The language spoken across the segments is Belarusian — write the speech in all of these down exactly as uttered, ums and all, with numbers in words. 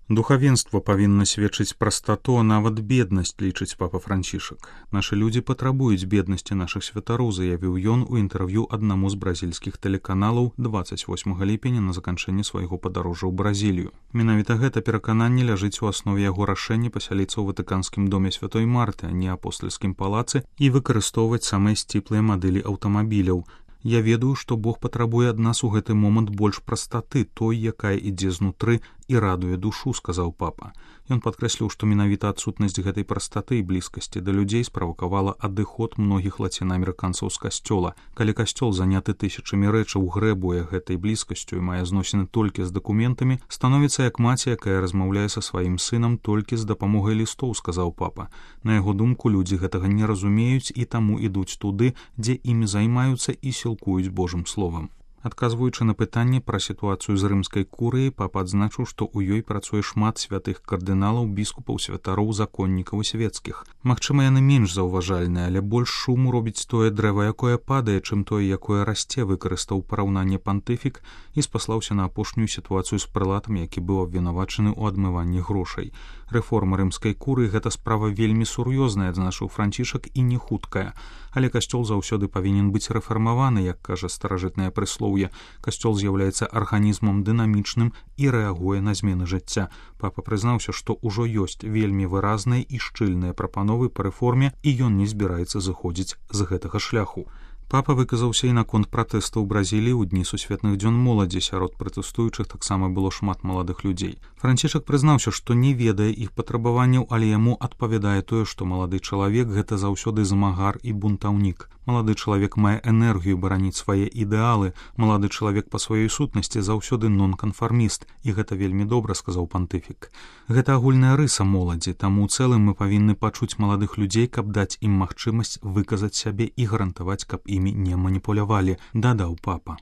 Духавенство павінна сведчыць прастату, а нават беднасць, лічыць папа Францішак. Нашы людзі патрабуюць беднасці нашых святароў, заявіў ён у інтэрв'ю аднаму з бразільскіх тэлеканалаў дваццаць восьмага ліпеня на заканчэнні свайго падарожжа ў Бразілію. Менавіта гэта перакананне ляжыць у аснове яго рашэння пасяліцца ў ватыканскім доме святой Марты, а не апостальскім палацы, і выкарыстоўваць самыя сціплыя мадэлі аўтамабіляў. Я ведаю, што Бог патрабуе ад нас у гэты момант больш прастаты, той, якая ідзе знутры і радуе душу, сказаў папа. Ён падкрэсліў, што менавіта адсутнасць гэтай прастаты і блізкасці да людзей справакавала адыход многіх лацінаамерыканцаў з касцёла. Калі касцёл заняты тысячамі рэчаў, грэбуе гэтай блізкасцю і мае зносіны толькі з дакументамі, становіцца як маці, якая размаўляе са сваім сынам толькі з дапамогай лістоў, сказаў папа. На яго думку, людзі гэтага не разумеюць і таму ідуць туды, дзе імі займаюцца і сілкуюць Божым словам. Адказваючы на пытанне пра сітуацыю з рымскай курыяй, папа адзначыў, што ў ёй працуе шмат святых кардыналаў, біскупаў, святароў, законнікаў і свецкіх. Магчыма, яны менш заўважальныя, але больш шуму робіць тое дрэва, якое падае, чым тое, якое расце, выкарыстаў параўнанне пантыфік і спаслаўся на апошнюю сітуацыю з прэлатам, які быў абвінавачаны ў адмыванні грошай. Рэформа рымскай курыі — гэта справа вельмі сур'ёзная, адзначыў Францішак, і не хуткая. Але касцёл заўсёды павінен быць рэфармаваны, як кажа старажытнае прыслоўе. Касцёл з'яўляецца арганізмам дынамічным і рэагуе на змены жыцця. Папа прызнаўся, што ўжо ёсць вельмі выразныя і шчыльныя прапановы па рэформе, і ён не збіраецца зыходзіць з гэтага шляху. Папа выказаўся і наконт пратэстаў у Бразіліі ў дні сусветных дзён моладзі. Сярод пратэстуючых таксама было шмат маладых людзей. Францішак прызнаўся, што не ведае іх патрабаванняў, але яму адпавядае тое, што малады чалавек — гэта заўсёды змагар і бунтаўнік. Малады чалавек мае энергію бараніць свае ідэалы. Малады чалавек па сваёй сутнасці заўсёды нонканфарміст, і гэта вельмі добра, сказаў пантыфік. Гэта агульная рыса моладзі, таму ў цэлым мы павінны пачуць маладых людзей, каб даць ім магчымасць выказаць сябе і гарантаваць, каб імі не маніпулявалі, дадаў папа.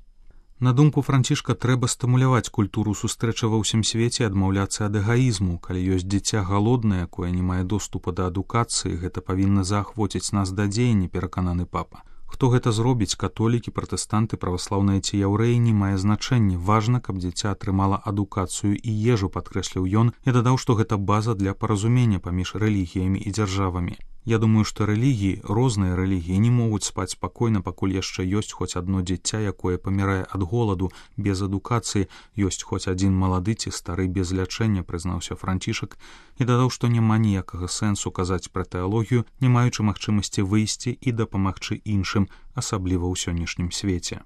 На думку Францішка, трэба стымуляваць культуру сустрэчы ва ўсім свеце і адмаўляцца ад эгаізму. Калі ёсць дзіця галоднае, якое не мае доступа да адукацыі, гэта павінна заахвоціць нас да дзеяння, перакананы папа. Хто гэта зробіць, католікі, пратэстанты, праваслаўныя ці яўрэі, не мае значэння. Важна, каб дзіця атрымала адукацыю і ежу, падкрэсліў ён, і дадаў, што гэта база для паразумення паміж рэлігіямі і дзяржавамі. Я думаю, што рэлігіі, розныя рэлігіі, не могуць спаць спакойна, пакуль яшчэ ёсць хоць адно дзіця, якое памірае ад голаду, без адукацыі, ёсць хоць адзін малады ці стары без лячэння, прызнаўся Францішак, і дадаў, што няма ніякага сэнсу казаць пра тэалогію, не маючы магчымасці выйсці і дапамагчы іншым, асабліва ў сённяшнім свеце.